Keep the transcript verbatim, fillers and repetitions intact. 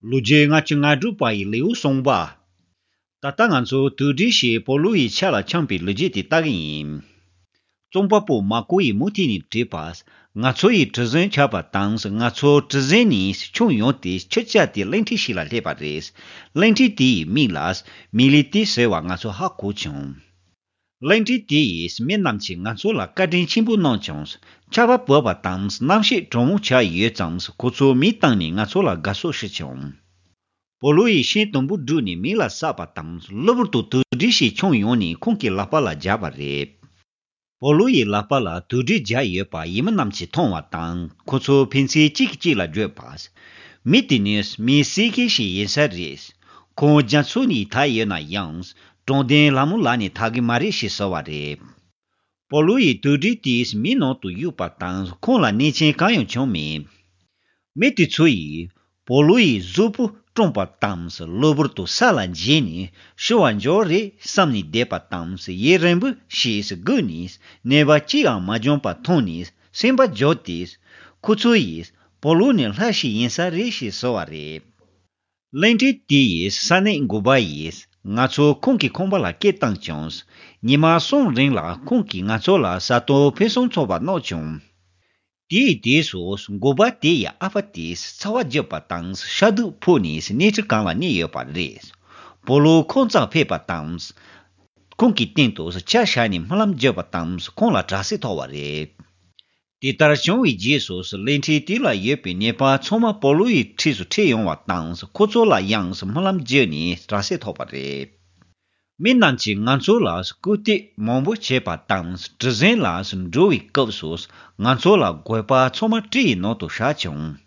ལོ་རྒྱུས་ལྔ་བཅུ་ང་དྲུག་པ་ཡི་ལེའུ་གསུམ་པ། ད་ལྟ་ང་ཚོ་དུག་སྦྲུལ་ཞིག་པོ་ལུ་ཡི་ཆ་ལ་འཁྱམས་པའི་ལོ་རྒྱུས་དེ་ལྟ་གི་ཡིན། རྩོམ་པ་པོ་མར་ཀོ་ཡིས་མུ་མཐུད་ནས་བྲིས་པ། ང་ཚོ་ཡི་གྲུ་གཟིངས་ཆགས་པ་དང་། ང་ཚོ་གྲུ་གཟིངས་ནས་མཆོངས་ཡོང་སྟེ་ཆུ་བཅད་དེ་གླིང་ཕྲན་ཞིག་ལ་སླེབས་པ་རེད། གླིང་ཕྲན་དེ་ཡི་མིང་ལ་མི་ལི་ཏི་ཟེར་བ་ང་ཚོ་ཧ་གོ་བྱུང་། གླིང་ཕྲན་དེ་ཡི་མི་རྣམས་ཀྱིས་ང་ཚོ་ལ་བཀའ་དྲིན་ཆེན་པོ་གནང་བྱུང་། ཆར་པ་བབས་པ་དང་གནམ་གཤིས་གྲང་མོ་ཆགས་ཡོད་ཙང་། ཁོ་ཚོས་མེ་བཏང་ནས་ང་ཚོ་ལ་དགའ་བསུ་ཞུས་བྱུང་། པོ་ལུ་ཡིས་ཤིང་དུམ་བུ་བསྒྲིགས་ནས་མེ་ལ་བསྲེགས་པ་དང་། གློ་བུར་དུ་དུག་སྦྲུལ་ཞིག་མཆོངས་ཡོང་ནས་ཁོང་གི་ལག་པ་ལ་བརྒྱབ་པ་རེད། པོ་ལུ་ཡི་ལག་པ་ལ་དུག་སྦྲུལ་བརྒྱབ་ཡོད་པ་ཡུལ་མི་རྣམས་ཀྱིས་མཐོང་བ་དང་། ཁོ་ཚོ་ཕན་ཚུན་གཅིག་གིས་གཅིག་ལ་བརྗོད་པ། མི་དེ་ནི་མི་བསད་མཁན་ཞིག་ཡིན་ས་རེད། ཁོང་རྒྱ་མཚོ་ནས་ཐར་ཡོད་ན་ཡང་། དྲང་བདེན་ལྷ་མོའི་ལག་ནས་ཐར་གི་མ་རེད་ཞེས་ཟེར་བ་རེད། པོ་ལུ་ཡིས་དུག་སྦྲུལ་དེ་མེའི་ནང་དུ་གཡུགས་པ་དང་། ཁོང་ལ་ནད་རྐྱེན་གང་ཡང་བྱུང་མེད། མི་དེ་ཚོ་ཡིས་པོ་ལུ་ཡི་གཟུགས་པོ་བཀྲུས་པ་དང་། གློ་བུར་དུ་ས་ལ་འགྱེལ་ནས་ཤི་བར་འགྱུར་རེད་བསམ་ནས་བསྡད་པ་དང་། ཡུན་རིང་པོ་ཞིག་སྒུག་ནས་ནད་པ་གཅིག་ཡང་མ་བྱུང་བ་མཐོང་ནས་སེམས་པ་སྐྱོ་སྟེ། ཁོ་ཚོ་ཡིས་པོ་ལུ་ནི་ལྷ་ཞིག་ཡིན་ས་རེད་ཞེས་ཟེར་བ་རེད། གླིང་ཕྲན་དེ་ཡི་ས་གནས་འགོ་པ་ཡིས་ང་ཚོ་ཁོང་གི་ཁང་པ་ལ་སྐད་བཏང་བྱུང་། ཉི་མ་གསུམ་རིང་ལ་ཁོང་གིས་ང་ཚོ་ལ་ཟ་ཏོག་ཕུན་སུམ་ཚོགས་པ་གནང་བྱུང་། དེའི་དུས་སུ་འགོ་པ་དེ་ཡི་ཨ་ཕ་དེས་ཚ་བ་བརྒྱབ་པ་དང་ཤ་དུག་ཕོག་ནས་གནས་ཁྲི་སྒང་ལ་གནས་ཡོད་པ་རེད། པོ་ལུ་ཁོང་རྩར་ཕེབས་པ་དང་། ཁོང་གི་སྟེང་དུ་ཆ་བཞག་ནས་སྨོན་ལམ་བརྒྱབ་པ་དང་ཁོང་ལ་དྲག་སྐྱེད་ཐོབ་པ་རེད། དེ་ལྟར་བྱུང་བའི་རྗེས་སུ་གླིང་ཕྲན་དེ་ལ་ཡོད་པའི་ནད་པ་ཚང་མ་པོ་ལུ་ཡི་འཁྲིས་སུ་ཁྲིད་ཡོང་བ་དང་ཁོ་ཚོ་ལ་ཡང་སྨོན་ལམ་བརྒྱབ་ནས་དྲག་སྐྱེད་ཐོབ་པ་རེད། མི་རྣམས་ཀྱིས་ང་ཚོ་ལ་སྐུར་འདེབས་མང་པོ་བྱས་པ་དང་། གྲུ་གཟིངས་ལ་འགྲོ་བའི་སྐབས་སུ་ང་ཚོ་ལ་རྒོད་པ་ཚང་མ་གྲི་ཡི་ནང་དུ་བཞག་བྱུང་